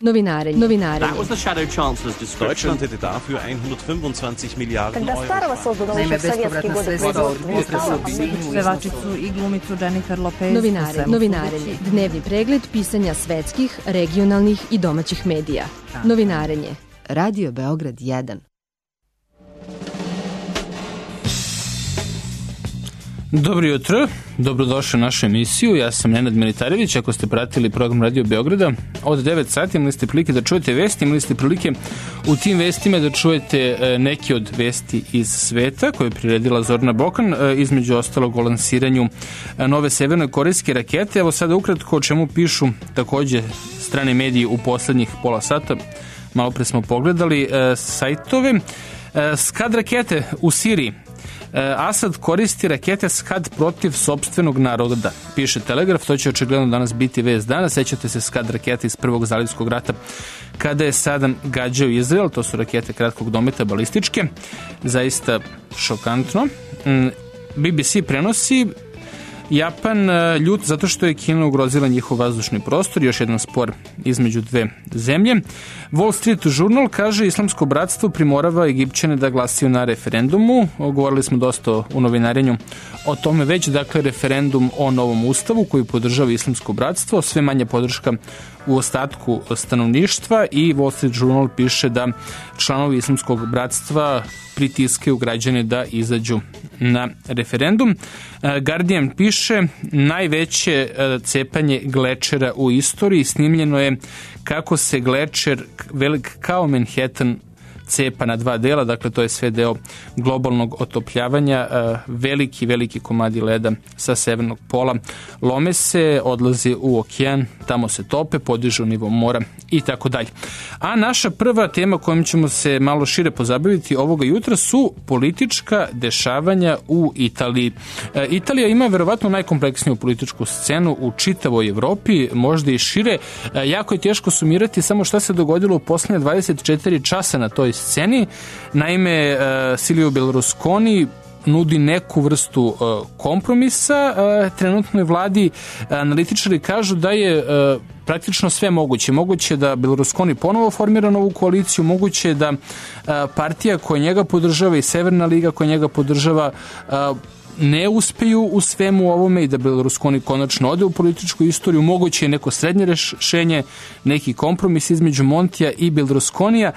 Novinarenje. That was the Shadow Chancellor's description. Deutschland hätte dafür 125 Milijarden Когда старого создано еще в советские годы Pevačicu i glumicu Jennifer Lopez. Novinarenje. Dnevni pregled pisanja svetskih, regionalnih i domaćih medija. Novinarenje. Radio Beograd 1. Dobro jutro, dobrodošli u našu emisiju. Ja sam Nenad Militarević. Ako ste pratili program Radio Beograda, od 9 sati imali ste prilike da čujete vesti, imali ste prilike u tim vestima da čujete neke od vesti iz sveta koje je priredila Zorana Bokan, između ostalog o lansiranju nove severnokorejske rakete. Evo sada ukratko o čemu pišu takođe strane mediji u poslednjih pola sata. Malo pre smo pogledali sajtove. Skad rakete u Siriji. Asad koristi rakete Skad protiv sopstvenog naroda, piše Telegraf. To će očigledno danas biti vest dana. Sećate se Skad rakete iz Prvog zalivskog rata kada je Sadam gađao Izrael. To su rakete kratkog dometa, balističke. Zaista šokantno. BBC prenosi Japan ljut zato što je Kina ugrozila njihov vazdušni prostor, još jedan spor između dve zemlje. Wall Street Journal kaže Islamsko bratstvo primorava Egipćane da glasaju na referendumu. Govorili smo dosta u novinarenju o tome već, dakle referendum o novom ustavu koji podržava Islamsko bratstvo, sve manja podrška u ostatku stanovništva i Wall Street Journal piše da članovi Islamskog bratstva pritiskaju građane da izađu na referendum. Guardian piše najveće cepanje glečera u istoriji. Snimljeno je kako se glečer velik kao Manhattan cepa na dva dela, dakle to je sve deo globalnog otopljavanja. Veliki komadi leda sa severnog pola lome se, odlazi u okean, tamo se tope, podižu nivo mora i tako dalje. A naša prva tema kojom ćemo se malo šire pozabaviti ovoga jutra su politička dešavanja u Italiji. Italija ima verovatno najkompleksniju političku scenu u čitavoj Evropi, možda i šire. Jako je teško sumirati samo šta se dogodilo u poslednje 24 časa na toj sceni. Naime, Silvio Berlusconi nudi neku vrstu kompromisa trenutnoj vladi. Analitičari kažu da je praktično sve moguće. Moguće da Berlusconi ponovo formira novu koaliciju, moguće da partija koja njega podržava i Severna liga koja njega podržava ne uspeju u svemu ovome i da Berlusconi konačno ode u političku istoriju. Moguće je neko srednje rešenje, neki kompromis između Montija i Berlusconija.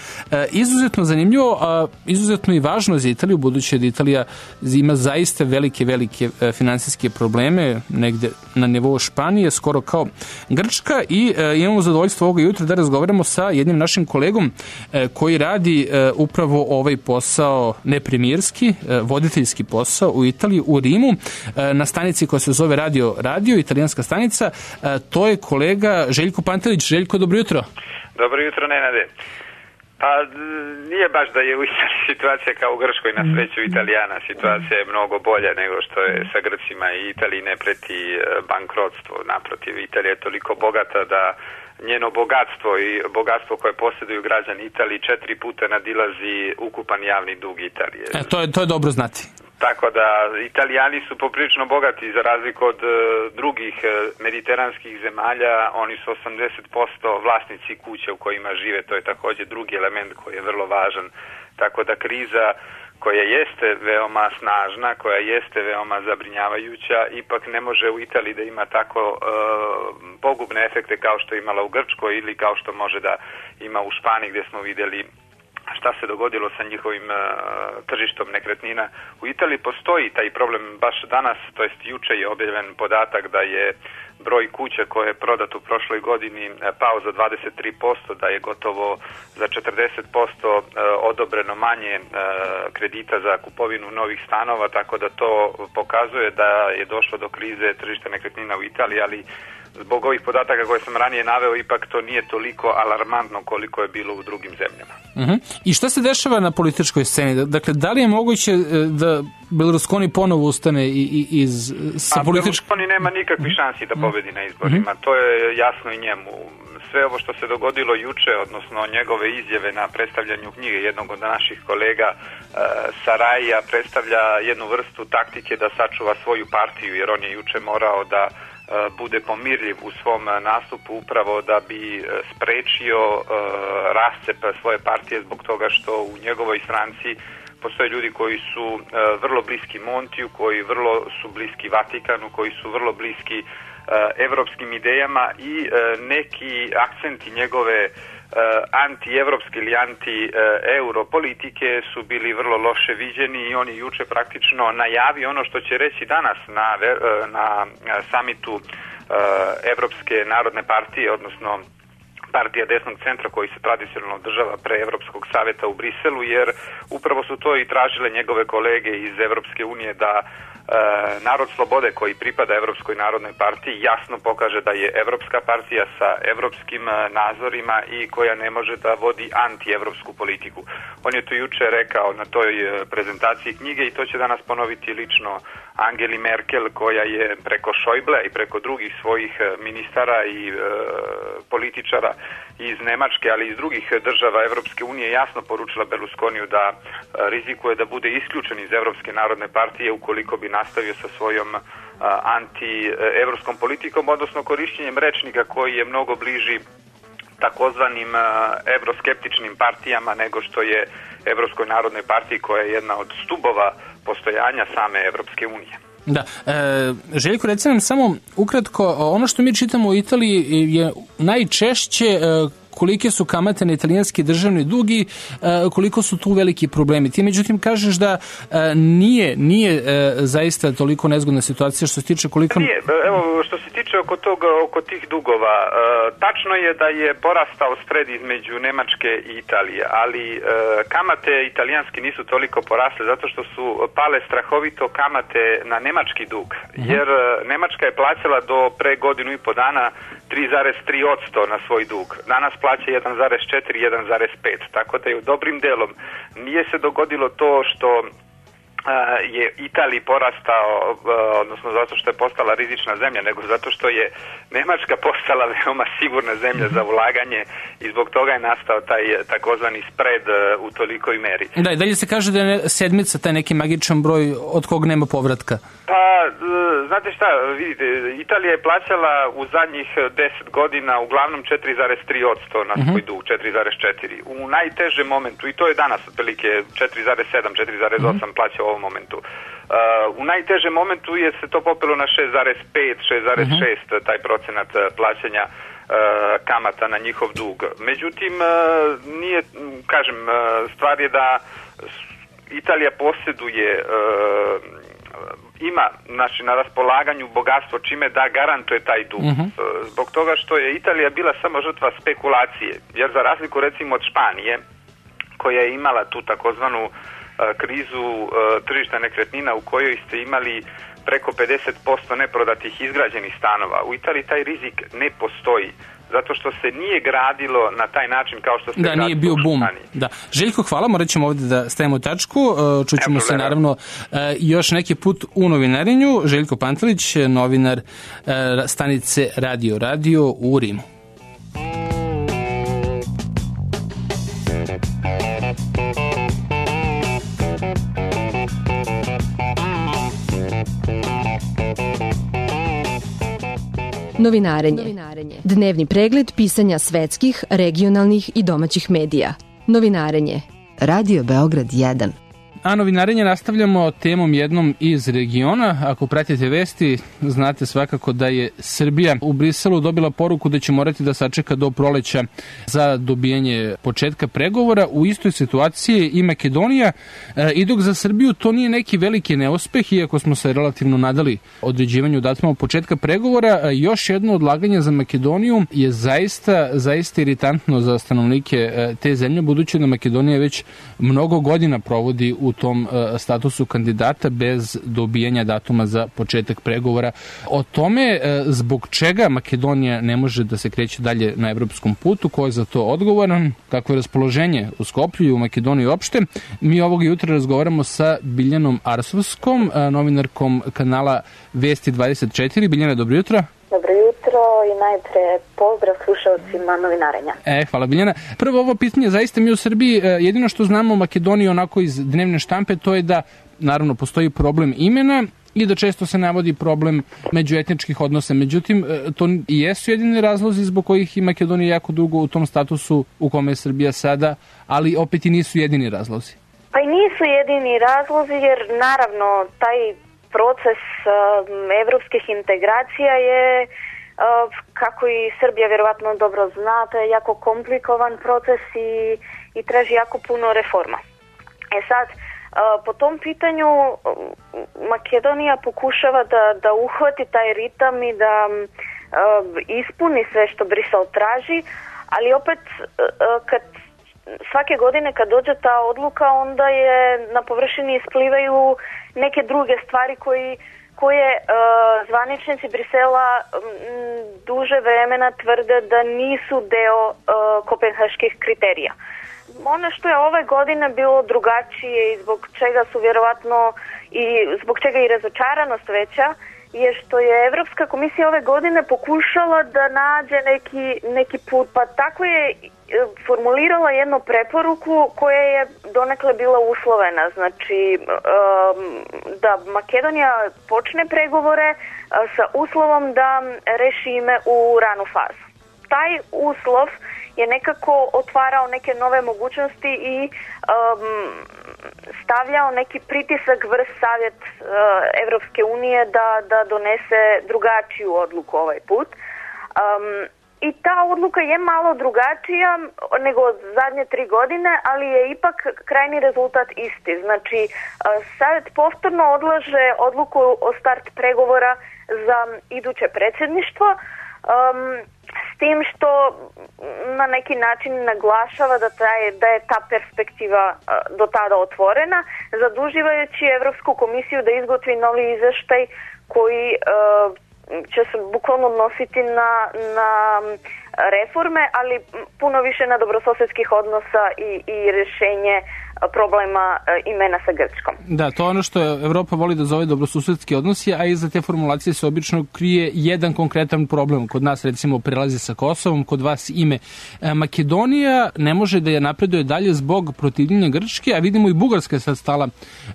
Izuzetno zanimljivo, a izuzetno i važno za Italiju, budući da Italija ima zaista velike finansijske probleme, negde na nivou Španije, skoro kao Grčka, i imamo zadovoljstvo ovoga jutra da razgovaramo sa jednim našim kolegom koji radi upravo ovaj posao, ne premijerski, voditeljski posao u Italiji, u Rimu, na stanici koja se zove Radio, italijanska stanica. To je kolega Željko Pantelić. Željko, dobro jutro. Dobro jutro, Nenade. Pa nije baš da je u Italiji situacija kao u Grčkoj, na sreću Italijana. Situacija je mnogo bolja nego što je sa Grcima i Italiji ne preti bankrotstvo. Naprotiv, Italija je toliko bogata da njeno bogatstvo i bogatstvo koje posjeduju građani Italije 4 puta nadilazi ukupan javni dug Italije. To je dobro znati. Tako da Italijani su poprilično bogati za razliku od drugih mediteranskih zemalja. Oni su 80% vlasnici kuće u kojima žive. To je također drugi element koji je vrlo važan. Tako da kriza koja jeste veoma snažna, koja jeste veoma zabrinjavajuća, ipak ne može u Italiji da ima tako pogubne efekte kao što je imala u Grčkoj ili kao što može da ima u Španiji gdje smo vidjeli šta se dogodilo sa njihovim tržištom nekretnina. U Italiji postoji taj problem baš danas, to jest juče je objavljen podatak da je broj kuća koje je prodat u prošloj godini pao za 23%, da je gotovo za 40% odobreno manje kredita za kupovinu novih stanova, tako da to pokazuje da je došlo do krize tržišta nekretnina u Italiji, ali zbog ovih podataka koje sam ranije naveo, ipak to nije toliko alarmantno koliko je bilo u drugim zemljama. I šta se dešava na političkoj sceni? Dakle, da li je moguće da Berlusconi ponovo ustane sa političkom... Berlusconi nema nikakvih šansi da pobedi na izborima. To je jasno i njemu. Sve ovo što se dogodilo juče, odnosno njegove izjave na predstavljanju knjige jednog od naših kolega Sarajija, predstavlja jednu vrstu taktike da sačuva svoju partiju, jer on je juče morao da bude pomirljiv u svom nastupu upravo da bi sprečio rascep svoje partije zbog toga što u njegovoj stranci postoje ljudi koji su vrlo bliski Montiju, koji vrlo su bliski Vatikanu, koji su vrlo bliski evropskim idejama i neki akcenti njegove anti-evropske ili anti-euro politike su bili vrlo loše viđeni i on je juče praktično najavio ono što će reći danas na samitu Evropske narodne partije, odnosno partija desnog centra koji se tradicionalno održava pre Evropskog saveta u Briselu, jer upravo su to i tražile njegove kolege iz Evropske unije da Narod slobode koji pripada Evropskoj narodnoj partiji jasno pokaže da je Evropska partija sa evropskim nazorima i koja ne može da vodi anti-evropsku politiku. On je to juče rekao na toj prezentaciji knjige i to će danas ponoviti lično Angeli Merkel, koja je preko Schäuble i preko drugih svojih ministara i političara iz Nemačke, ali i iz drugih država Evropske unije jasno poručila Berlusconiju da rizikuje da bude isključen iz Evropske narodne partije ukoliko bi nastavio sa svojom anti-evropskom politikom, odnosno korišćenjem rečnika koji je mnogo bliži takozvanim evroskeptičnim partijama nego što je Evropskoj narodnoj partiji koja je jedna od stubova postojanja same Evropske unije. Da, Željko, reci nam samo ukratko, ono što mi čitamo u Italiji je najčešće kolike su kamate na italijanski državni dug i koliko su tu veliki problemi. Ti međutim kažeš da nije zaista toliko nezgodna situacija što se tiče koliko... Nije, evo što se tiče oko tih dugova, tačno je da je porastao spred između Nemačke i Italije, ali kamate italijanski nisu toliko porasle zato što su pale strahovito kamate na nemački dug, jer Nemačka je plaćala do pre godinu i po dana 3,3% na svoj dug. Danas plaća 1,4, 1,5. Tako da je u dobrim delom nije se dogodilo to što je Italiji porastao, odnosno zato što je postala rizična zemlja, nego zato što je Nemačka postala veoma sigurna zemlja za ulaganje i zbog toga je nastao taj takozvani spread u tolikoj meri. Da, i dalje se kaže da je sedmica taj neki magičan broj od kog nema povratka. Pa, znate šta, vidite, Italija je plaćala u zadnjih 10 godina uglavnom 4,3% na svoj dug, 4,4. U najtežem momentu, i to je danas otprilike 4,7, 4,8 plaća u ovom momentu. U najtežem momentu je se to popelo na 6,5, 6,6 taj procenat plaćanja kamata na njihov dug. Međutim, nije, kažem, stvar je da Italija posjeduje ima na raspolaganju bogatstvo čime da garantuje taj dug. Zbog toga što je Italija bila samo žrtva spekulacije, jer za razliku recimo od Španije, koja je imala tu takozvanu krizu tržišta nekretnina u kojoj ste imali preko 50% neprodatih izgrađenih stanova. U Italiji taj rizik ne postoji, zato što se nije gradilo na taj način kao što se gradilo nije bio boom. Da. Željko, hvala, morat ćemo ovdje da stavimo tačku. Čućemo se naravno još neki put u novinarenju. Željko Pantelić, novinar stanice Radio u Rimu. Novinarenje. Dnevni pregled pisanja svetskih, regionalnih i domaćih medija. Novinarenje. Radio Beograd 1. A novinarenje nastavljamo temom jednom iz regiona. Ako pratite vesti, znate svakako da je Srbija u Briselu dobila poruku da će morati da sačeka do proleća za dobijanje početka pregovora. U istoj situaciji i Makedonija. I dok za Srbiju to nije neki veliki neuspeh, iako smo se relativno nadali određivanju datuma početka pregovora, još jedno odlaganje za Makedoniju je zaista iritantno za stanovnike te zemlje, budući da Makedonija već mnogo godina provodi u tom statusu kandidata bez dobijanja datuma za početak pregovora. O tome zbog čega Makedonija ne može da se kreće dalje na evropskom putu, ko je za to odgovoran, kako je raspoloženje u Skoplju i u Makedoniji uopšte, mi ovog jutra razgovaramo sa Biljanom Arsovskom, novinarkom kanala Vesti 24. Biljana, dobro jutro. Dobro jutro i najpre pozdrav slušalcima novinarenja. Hvala Biljana. Prvo ovo pitanje, zaista mi u Srbiji jedino što znamo o Makedoniji onako iz dnevne štampe, to je da naravno postoji problem imena i da često se navodi problem međuetničkih odnosa. Međutim, to i jesu jedini razlozi zbog kojih i Makedonija jako dugo u tom statusu u kome je Srbija sada, ali opet i nisu jedini razlozi. Pa i nisu jedini razlozi, jer naravno taj proces evropskih integracija je, kako i Srbija vjerovatno dobro zna, to je jako komplikovan proces i traži jako puno reforma. Sad, po tom pitanju Makedonija pokušava da uhvati taj ritam i da ispuni sve što Brisel traži, ali opet svake godine kad dođe ta odluka, onda je na površini isplivaju neke druge stvari koje zvaničnici Brisela duže vremena tvrde da nisu deo kopenhaških kriterija. Ono što je ove godine bilo drugačije i zbog čega su vjerovatno zbog čega i razočaranost veća, je što je Evropska komisija ove godine pokušala da nađe neki put, pa tako je formulirala jednu preporuku koja je donekle bila uslovena, znači da Makedonija počne pregovore sa uslovom da reši ime u ranu fazu. Taj uslov je nekako otvarao neke nove mogućnosti i stavljao neki pritisak vrh Savjet Evropske unije da donese drugačiju odluku ovaj put. I ta odluka je malo drugačija nego zadnje 3 godine, ali je ipak krajni rezultat isti. Znači, Savjet povtorno odlaže odluku o start pregovora za iduće predsjedništvo, s tim što na neki način naglašava da je ta perspektiva do tada otvorena, zaduživajući Evropsku komisiju da izgotovi novi izveštaj koji će se bukvalno odnositi na reforme, ali puno više na dobrosusjedskih odnosa i rješenje problema imena sa Grčkom. Da, to je ono što Evropa voli da zove dobrosusedski odnosi, a iza te formulacije se obično krije jedan konkretan problem. Kod nas, recimo, prelazi sa Kosovom, kod vas ime. Makedonija ne može da je napreduje dalje zbog protivljenja Grčke, a vidimo i Bugarska je sad stala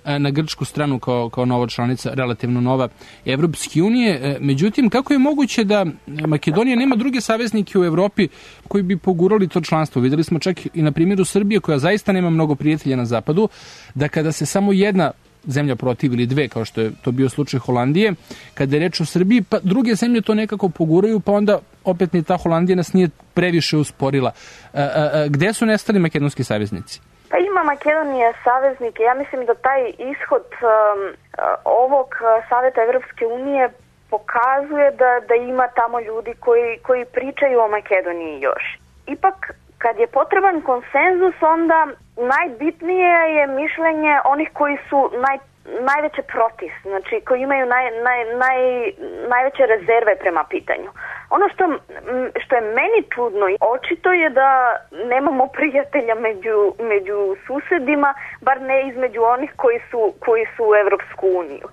na grčku stranu kao nova članica, relativno nova Evropske unije. Međutim, kako je moguće da Makedonija nema druge saveznike u Evropi koji bi pogurali to članstvo? Videli smo čak i na primjeru Srbije, koja zaista nema mnogo prijatelja na zapadu, da kada se samo jedna zemlja protiv ili dve, kao što je to bio slučaj Holandije, kada je reč o Srbiji, pa druge zemlje to nekako poguraju, pa onda opet ni ta Holandija nas nije previše usporila. Gde su nestali makedonski saveznici? Pa ima Makedonija saveznike. Ja mislim da taj ishod ovog Savjeta Evropske unije pokazuje da ima tamo ljudi koji pričaju o Makedoniji još. Ipak, kad je potreban konsenzus, onda najbitnije je mišljenje onih koji su najveće protiv, znači koji imaju najveće rezerve prema pitanju. Ono što je meni čudno, očito je da nemamo prijatelja među susjedima, bar ne između onih koji su u Evropsku uniju.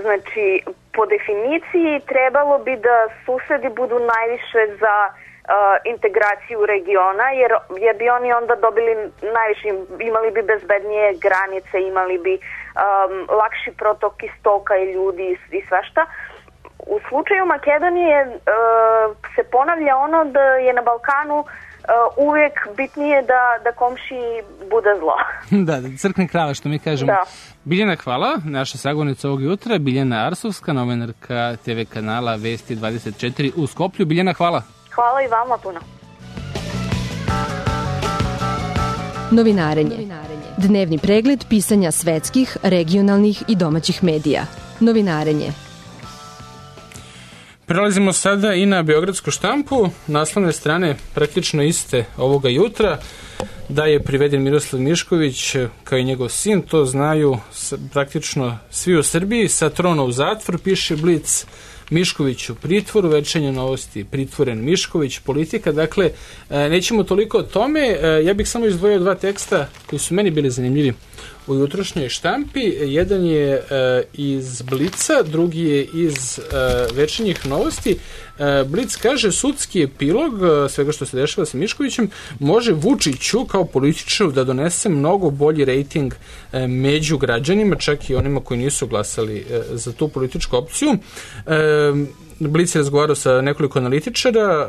Znači, po definiciji trebalo bi da susjedi budu najviše za integraciju regiona, jer bi oni onda dobili najviše, imali bi bezbednije granice, imali bi lakši protok istoka i ljudi i svašta. U slučaju Makedonije se ponavlja ono da je na Balkanu uvijek bitnije da komšiji bude zlo. Da, crkne krava, što mi kažemo. Da. Biljana, hvala. Naša sagovornica ovog jutra, Biljana Arsovska, novinarka TV kanala Vesti 24 u Skoplju. Biljana, hvala. Hvala i vama puno. Novinarenje. Dnevni pregled pisanja svetskih, regionalnih i domaćih medija. Novinarenje. Prelazimo sada i na beogradsku štampu. Naslovne strane praktično iste ovoga jutra. Da je priveden Miroslav Mišković kao i njegov sin, to znaju praktično svi u Srbiji. Sa trona u zatvor, piše Blic. Mišković u pritvoru, Večernje novosti, pritvoren Mišković, Politika. Dakle, nećemo toliko o tome. Ja bih samo izdvojio 2 teksta koji su meni bili zanimljivi u jutrošnjoj štampi. Jedan je iz Blica, drugi je iz Večernjih novosti. Blic kaže, sudski epilog svega što se dešava sa Miškovićem može Vučiću kao političaru da donese mnogo bolji rejting među građanima, čak i onima koji nisu glasali za tu političku opciju. Blic je razgovarao sa nekoliko analitičara,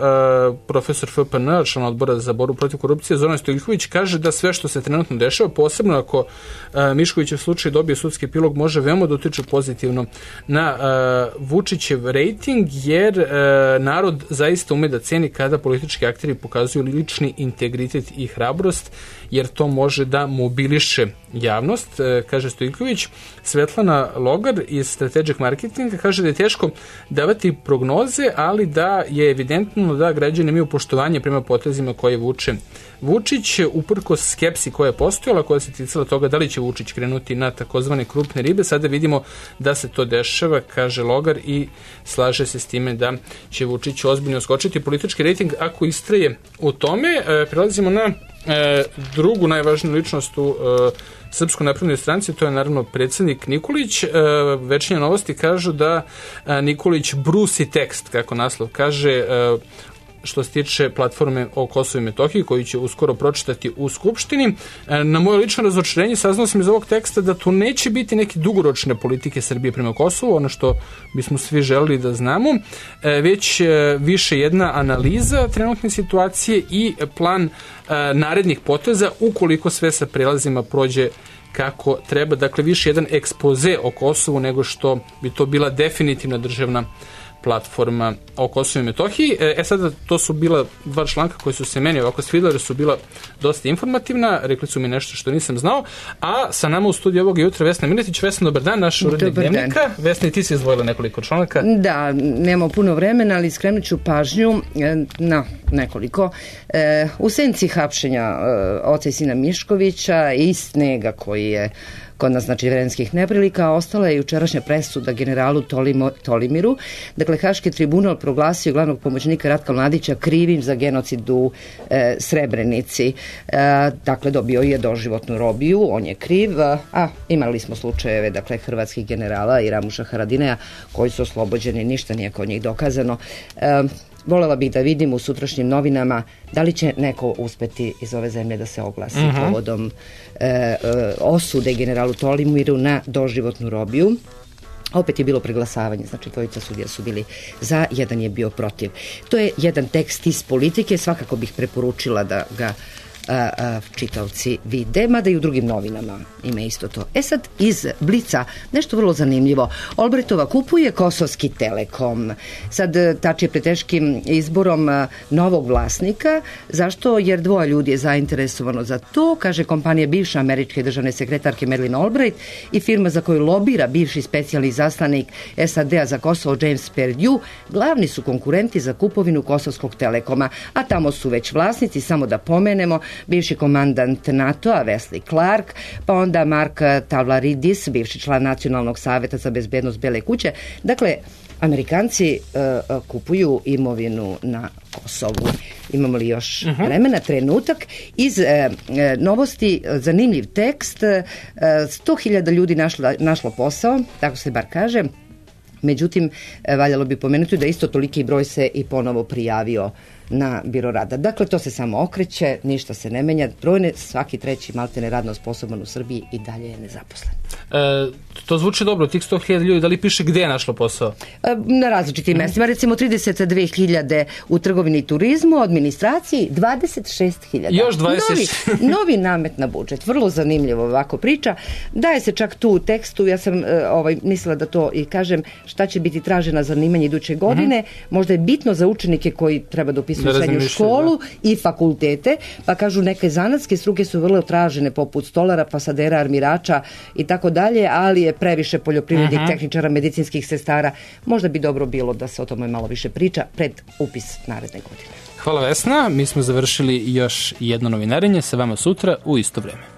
profesor FPN, član odbora za borbu protiv korupcije, Zoran Stojiljković, kaže da sve što se trenutno dešava, posebno ako Miškovićev slučaj dobije sudski epilog, može veoma da utiče pozitivno na Vučićev rejting, jer narod zaista ume da ceni kada politički akteri pokazuju lični integritet i hrabrost, jer to može da mobiliše javnost, kaže Stojiljković. Svetlana Logar iz Strategic Marketinga kaže da je teško davati prognoze, ali da je evidentno da građani imaju poštovanje prema potezima koje vuče Vučić, uprkos skepsi koja je postojala, koja se ticala toga da li će Vučić krenuti na takozvane krupne ribe. Sada vidimo da se to dešava, kaže Logar, i slaže se s time da će Vučić ozbiljno skočiti politički rejting ako istraje u tome. Prelazimo na drugu najvažniju ličnost u Srpskoj naprednoj stranci, to je naravno predsjednik Nikolić. Večernje novosti kažu da Nikolić brusi tekst, kako naslov kaže, što se tiče platforme o Kosovu i Metohiji, koju će uskoro pročitati u Skupštini. Na moje lično razočarenje saznao sam iz ovog teksta da to neće biti neke dugoročne politike Srbije prema Kosovu, ono što bismo svi želeli da znamo, već više jedna analiza trenutne situacije i plan narednih poteza ukoliko sve sa prelazima prođe kako treba. Dakle, više jedan ekspoze o Kosovu nego što bi to bila definitivna državna platforma o Kosovu i Metohiji. Sada to su bila dva članka koji su se meni ovako svidjeli, jer su bila dosta informativna, rekli su mi nešto što nisam znao, a sa nama u studiju ovog jutra Vesna Miletić. Vesna, dobar dan, naš urednik Dnevnika. Vesna, i ti si izdvojila nekoliko članaka. Da, nemamo puno vremena, ali skrenut ću pažnju na nekoliko. U senci hapšenja oca i sina Miškovića i snega koji je kod nas, znači, vremenskih neprilika, ostala je jučerašnja presuda generalu Tolimiru. Dakle, Haški tribunal proglasio glavnog pomoćnika Ratka Mladića krivim za genocid u Srebrenici. Dakle, dobio je doživotnu robiju, on je kriv, a imali smo slučajeve, dakle, hrvatskih generala i Ramuša Haradinaja koji su oslobođeni, ništa nije kod njih dokazano. Volela bih da vidim u sutrašnjim novinama da li će neko uspeti iz ove zemlje da se oglasi povodom osude generalu Tolimiru na doživotnu robiju. Opet je bilo preglasavanje, znači dvojica sudija su bili za, jedan je bio protiv. To je jedan tekst iz Politike, svakako bih preporučila da ga čitaoci vide, mada i u drugim novinama ima isto to. Sad iz Blica nešto vrlo zanimljivo. Olbrajtova kupuje Kosovski Telekom. Sad tači je pred teškim izborom novog vlasnika. Zašto? Jer dvoje ljudi je zainteresovano za to, kaže kompanija bivše američke državne sekretarke Madeleine Albright i firma za koju lobira bivši specijalni izaslanik SAD-a za Kosovo James Perdue, glavni su konkurenti za kupovinu Kosovskog Telekoma, a tamo su već vlasnici, samo da pomenemo, bivši komandant NATO-a Wesley Clark, pa onda Mark Tavlaridis, bivši član Nacionalnog saveta za bezbednost Bele kuće. Dakle, Amerikanci kupuju imovinu na Kosovu. Imamo li još vremena? Trenutak. Iz novosti zanimljiv tekst. 100.000 ljudi našlo posao, tako se bar kaže. Međutim, valjalo bi pomenuti da isto toliki broj se i ponovo prijavio na biro rada. Dakle, to se samo okreće, ništa se ne menja. Brojne, svaki treći maltene radno sposoban u Srbiji i dalje je nezaposlen. To zvuči dobro, tih 100.000 ljudi, da li piše gde je našlo posao? Na različitim mestima, recimo 32.000 u trgovini i turizmu, administraciji 26.000. Još 26. Novi namet na budžet, vrlo zanimljivo ovako priča. Daje se čak tu u tekstu, ja sam mislila da to i kažem, šta će biti tražena zanimanje iduće godine, možda je bitno za učenike koji treba da upisuju srednju školu i fakultete, pa kažu neke zanatske struke su vrlo tražene, poput stolara, pasadera, armirača i tako dalje, ali je previše poljoprivrednih tehničara, medicinskih sestara. Možda bi dobro bilo da se o tome malo više priča pred upis naredne godine. Hvala Vesna, mi smo završili još jedno novinarenje, sa vama sutra u isto vreme.